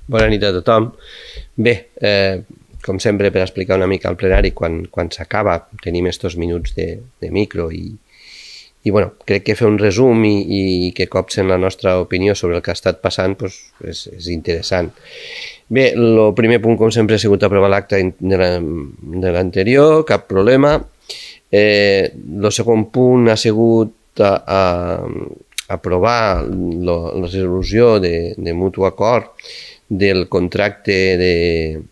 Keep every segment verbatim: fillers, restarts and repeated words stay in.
Bona nit a tothom. Bé, eh, com sempre, per explicar una mica al plenari, quan, quan s'acaba tenim estos minuts de, de micro i, i bueno, crec que fer un resum i, i que copsen la nostra opinió sobre el que ha estat passant pues, és, és interessant. Bé, el primer punt, com sempre, ha sigut aprovar l'acte de l'anterior, cap problema. El eh, segon punt ha sigut a, a, aprovar lo, la resolució de, de mutu acord del contracte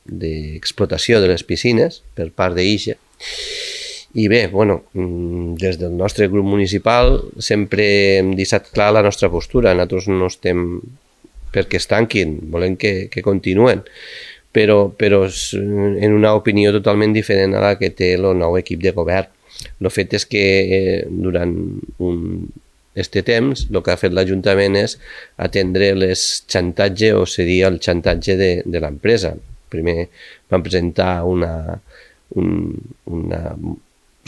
d'explotació de, de les piscines per part d'I X E. I bé, bueno, des del nostre grup municipal sempre hem deixat clar la nostra postura. Nosaltres no estem perquè es tanquin, volem que, que continuen, però, però en una opinió totalment diferent a la que té el nou equip de govern. El fet és que durant un este temps el que ha fet l'Ajuntament és atendre les xantatge o seria el xantatge de, de l'empresa. Primer van presentar una, un, una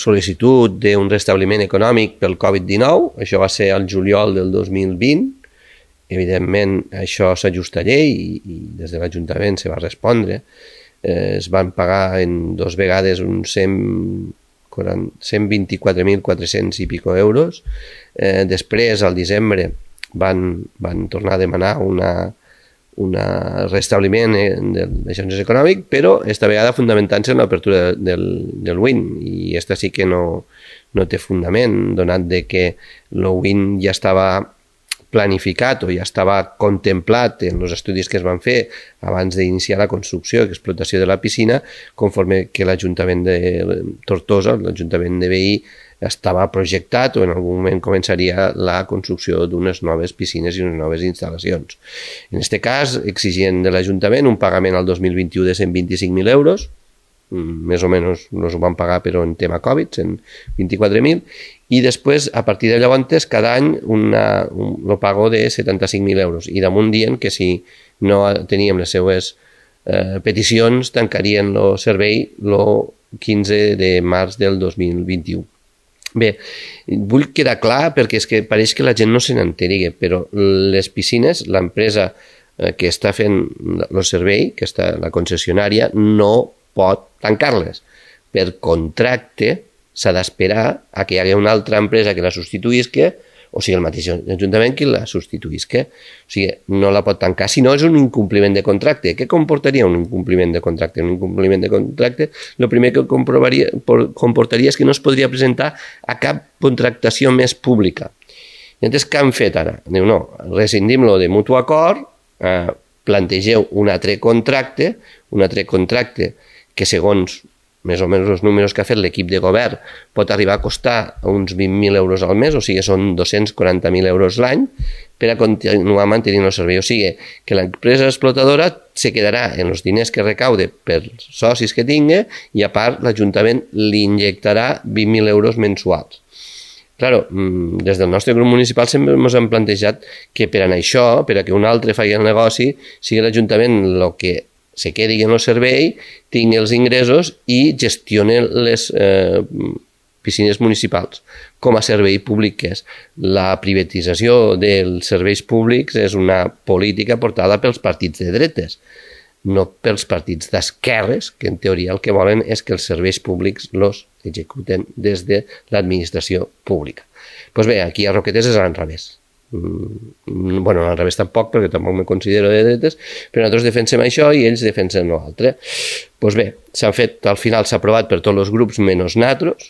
sol·licitud d'un restabliment econòmic pel covid dinou, això va ser el juliol del dos mil vint, evidentment això s'ajusta a llei i, i des de l'Ajuntament se va respondre, eh, es van pagar en dos vegades uns cent vint-i-quatre mil quatre-cents i pico euros. Eh, després, al desembre, van, van tornar a demanar una, una restabliment d'aixòncies econòmic, però esta vegada fundamentant-se en l'apertura del, del W I N, i esta sí que no, no té fundament, donat de que el W I N ja estava planificat o ja estava contemplat en els estudis que es van fer abans d'iniciar la construcció i explotació de la piscina, conforme que l'Ajuntament de Tortosa, l'Ajuntament de Veí, estava projectat o en algun moment començaria la construcció d'unes noves piscines i unes noves instal·lacions. En aquest cas, exigien de l'Ajuntament un pagament al dos mil vint-i-u de cent vint-i-cinc mil euros, més o menys els ho van pagar però en tema Covid, cent vint-i-quatre mil, i després, a partir de llavors, cada any una, un, lo pago de setanta-cinc mil euros, i damunt dient que si no teníem les seues eh, peticions, tancarien el servei el quinze de març del dos mil vint-i-u. Bé, vull quedar clar perquè és que pareix que la gent no se n'enteri, però les piscines, l'empresa que està fent el servei, que està la concessionària, no pot tancar-les. Per contracte s'ha d'esperar a que hi hagi una altra empresa que la substituïsca, o sigui, el mateix Ajuntament que la substituïsca. O sigui, no la pot tancar, si no és un incompliment de contracte. Què comportaria un incompliment de contracte? Un incompliment de contracte, el primer que comportaria és que no es podria presentar a cap contractació més pública. I llavors, què han fet ara? Diu, no, rescindim-lo de mutu acord, eh, plantegeu un altre contracte, un altre contracte que segons més o menys els números que ha fet l'equip de govern pot arribar a costar uns vint mil euros al mes, o sigui, són dos-cents quaranta mil euros l'any per a continuar mantenint el servei. O sigui, que l'empresa explotadora se quedarà en els diners que recaude per socis que tingui i a part l'Ajuntament li injectarà vint mil euros mensuals. Claro, des del nostre grup municipal sempre ens hem plantejat que per a això, per a que un altre faci el negoci, sigui l'Ajuntament el que se quedi en el servei, tingui els ingressos i gestioni les eh, piscines municipals com a servei públic que és. La privatització dels serveis públics és una política portada pels partits de dretes, no pels partits d'esquerres, que en teoria el que volen és que els serveis públics els executen des de l'administració pública. Doncs bé, aquí a Roquetes és al revés. Bueno, al revés tampoc, perquè tampoc me considero de dretes, però nosaltres defensem això i ells defensen l'altre. Doncs bé, s'han fet, al final s'ha aprovat per tots els grups menys nosaltres,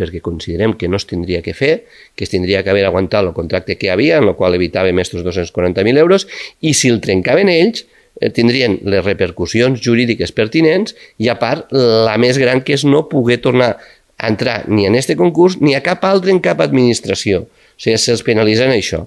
perquè considerem que no es tindria que fer, que es tindria que haver aguantat el contracte que hi havia, en el qual evitàvem estos dos-cents quaranta mil euros, i si el trencaven ells, tindrien les repercussions jurídiques pertinents i, a part, la més gran que és no poder tornar a entrar ni en este concurs ni a cap altre en cap administració. O sigui, se'ls penalitza en això.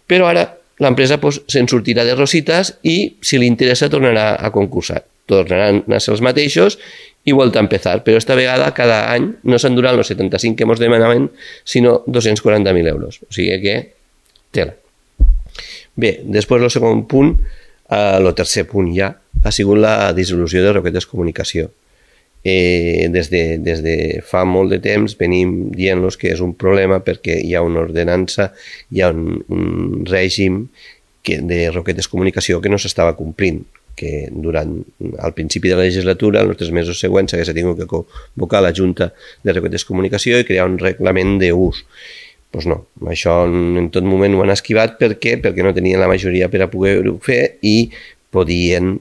Però ara l'empresa pues, se'n sortirà de rositas i, si li interessa, tornarà a concursar. Tornaran a ser els mateixos i volta a empezar. Però esta vegada, cada any, no s'enduran els setanta-cinc que ens demanaven, sinó dos-cents quaranta mil euros. O sigui que, tela. Bé, després el segon punt, el tercer punt ja, ha sigut la dissolució de Roquetes Comunicació. Eh, des, de, des de fa molt de temps venim dient-los que és un problema perquè hi ha una ordenança, hi ha un, un règim que, de Roquetes Comunicació que no s'estava complint, que durant al principi de la legislatura, en els tres mesos següents, s'hagués tingut que convocar la Junta de Roquetes Comunicació i crear un reglament d'ús. Doncs no, això en tot moment ho han esquivat. Per què? Perquè no tenien la majoria per a poder-ho fer i podien,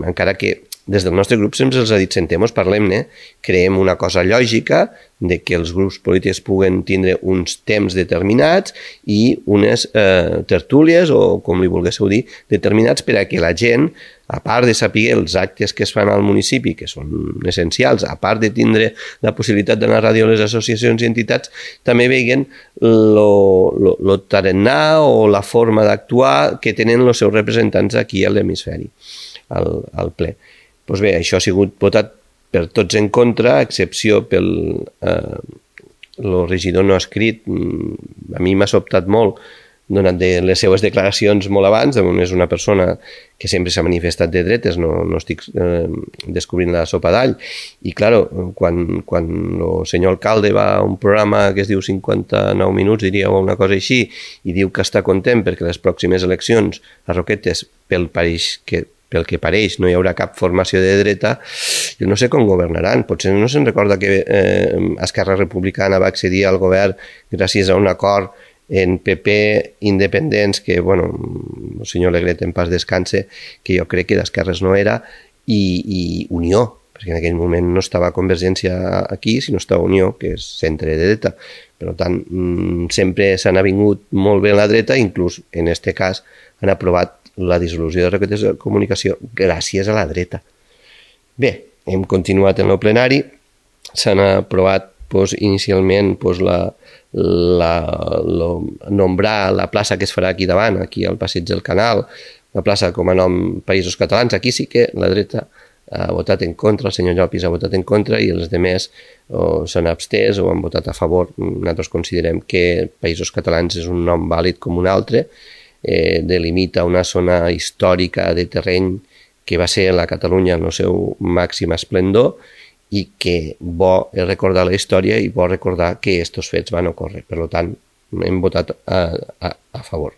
encara que des del nostre grup sempre els ha dit, sentem-nos, parlem-ne, creem una cosa lògica de que els grups polítics puguen tindre uns temps determinats i unes eh, tertúlies, o com li volguéssiu dir, determinats per a que la gent, a part de saber els actes que es fan al municipi, que són essencials, a part de tindre la possibilitat d'anar a ràdio a les associacions i entitats, també veien lo, lo, lo tarannà o la forma d'actuar que tenen els seus representants aquí a l'hemisferi, al, al ple. Doncs bé, això ha sigut votat per tots en contra, a excepció pel eh, el regidor no escrit. A mi m'ha sobtat molt, donat de les seues declaracions molt abans. És una persona que sempre s'ha manifestat de dretes, no, no estic eh, descobrint la sopa d'all. I, clar, quan, quan el senyor alcalde va a un programa que es diu cinquanta-nou minuts, diria, o una cosa així, i diu que està content perquè les pròximes eleccions a Roquetes, pel pareix que pel que pareix, no hi haurà cap formació de dreta, jo no sé com governaran. Potser no se'n recorda que eh, Esquerra Republicana va accedir al govern gràcies a un acord en P P independents, que, bueno, el senyor Alegret en pas descanse, que jo crec que d'esquerres no era, i, i Unió, perquè en aquell moment no estava Convergència aquí, sinó estava Unió, que és centre de dreta. Per tant, sempre s'han avingut molt bé la dreta, inclús en aquest cas han aprovat la dissolució de Roquetes de Comunicació gràcies a la dreta. Bé, hem continuat en el plenari, s'han aprovat pues, inicialment pues, la, la, la, nombrar la plaça que es farà aquí davant, aquí al passeig del Canal, la plaça com a nom Països Catalans. Aquí sí que la dreta ha votat en contra, el senyor Llopis ha votat en contra i els altres s'han abstès o han votat a favor. Nosaltres considerem que Països Catalans és un nom vàlid com un altre, eh, delimita una zona històrica de terreny que va ser la Catalunya en el seu màxim esplendor i que bo és recordar la història i bo recordar que aquests fets van ocórrer. Per tant, hem votat a, a, a favor.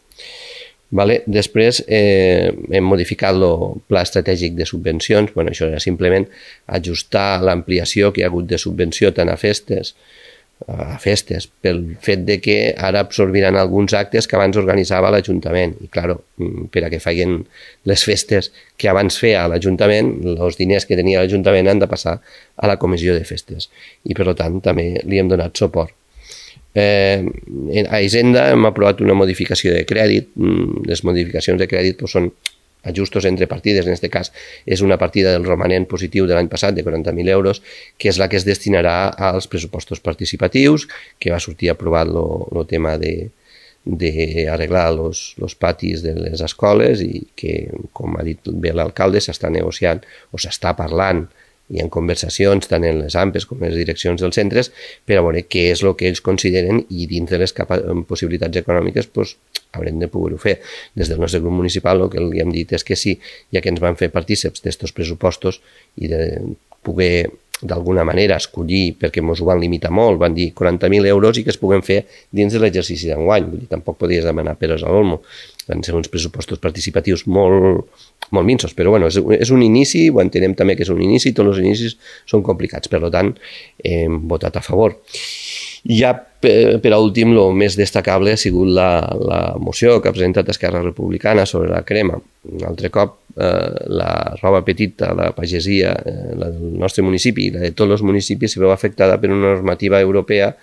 Vale? Després eh, hem modificat el pla estratègic de subvencions. Bueno, això era simplement ajustar l'ampliació que hi ha hagut de subvenció tant a festes a festes, pel fet de que ara absorbiran alguns actes que abans organitzava l'Ajuntament. I, clar, per a que facin les festes que abans feia l'Ajuntament, els diners que tenia l'Ajuntament han de passar a la comissió de festes. I, per tant, també li hem donat suport. Eh, a Hisenda hem aprovat una modificació de crèdit. Les modificacions de crèdit pues, són ajustos entre partides. En aquest cas és una partida del romanent positiu de l'any passat de quaranta mil euros, que és la que es destinarà als pressupostos participatius, que va sortir aprovat el tema de d'arreglar els patis de les escoles i que, com ha dit bé l'alcalde, s'està negociant o s'està parlant i en conversacions tant en les A M P Es com en les direccions dels centres per a veure què és el que ells consideren i dins de les possibilitats econòmiques pues, haurem de poder-ho fer. Des del nostre grup municipal el que li hem dit és que sí, ja que ens van fer partíceps d'estos pressupostos i de poder d'alguna manera escollir, perquè ens ho van limitar molt, van dir quaranta mil euros i que es puguen fer dins de l'exercici d'enguany. Vull dir, tampoc podies demanar peres a l'olmo. Van ser uns pressupostos participatius molt, molt minsos, però bueno, és, és un inici, ho entenem també que és un inici, tots els inicis són complicats, per tant, hem votat a favor. I ja, per, per últim, el més destacable ha sigut la, la moció que ha presentat Esquerra Republicana sobre la crema. Un altre cop, eh, la roba petita, la pagesia, eh, la del nostre municipi i la de tots els municipis se veu afectada per una normativa europea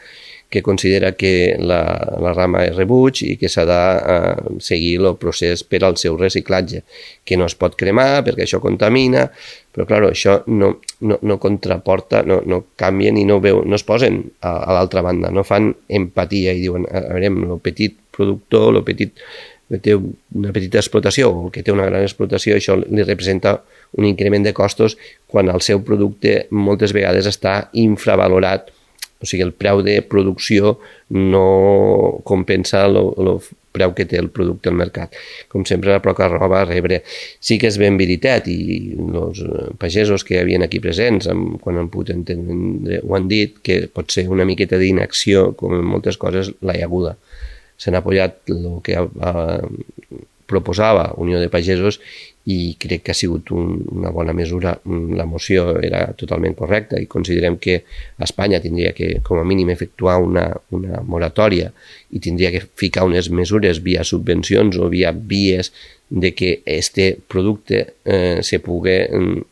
que considera que la, la rama és rebuig i que s'ha de eh, seguir el procés per al seu reciclatge, que no es pot cremar perquè això contamina, però clar, això no, no, no contraporta, no, no canvien i no, veu, no es posen a, a l'altra banda, no fan empatia i diuen, a veure, el petit productor, el petit que té una petita explotació o que té una gran explotació, això li representa un increment de costos quan el seu producte moltes vegades està infravalorat. O sigui, el preu de producció no compensa el preu que té el producte al mercat. Com sempre, la poca roba a rebre. Sí que és ben veritat, i els pagesos que hi havia aquí presents, quan han pogut entendre, ho han dit, que pot ser una miqueta d'inacció, com en moltes coses, la hi haguda. S'han apoyat el que ha, ha proposava Unió de Pagesos i crec que ha sigut un, una bona mesura. La moció era totalment correcta i considerem que Espanya tindria que, com a mínim, efectuar una, una moratòria i tindria que ficar unes mesures via subvencions o via vies de que este producte eh, se pugui eh,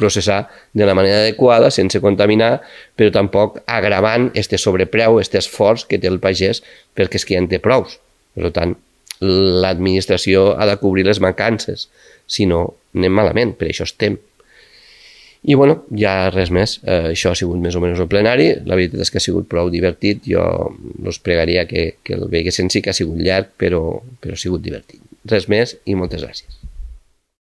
processar de la manera adequada, sense contaminar, però tampoc agravant este sobrepreu, este esforç que té el pagès, perquè és que ja en té prous. Per tant, l'administració ha de cobrir les mancances, si no anem malament, per això estem. I bueno, ja res més, eh, això ha sigut més o menys el plenari, la veritat és que ha sigut prou divertit, jo us pregaria que, que el veiguessin, sí que ha sigut llarg, però, però ha sigut divertit. Res més i moltes gràcies.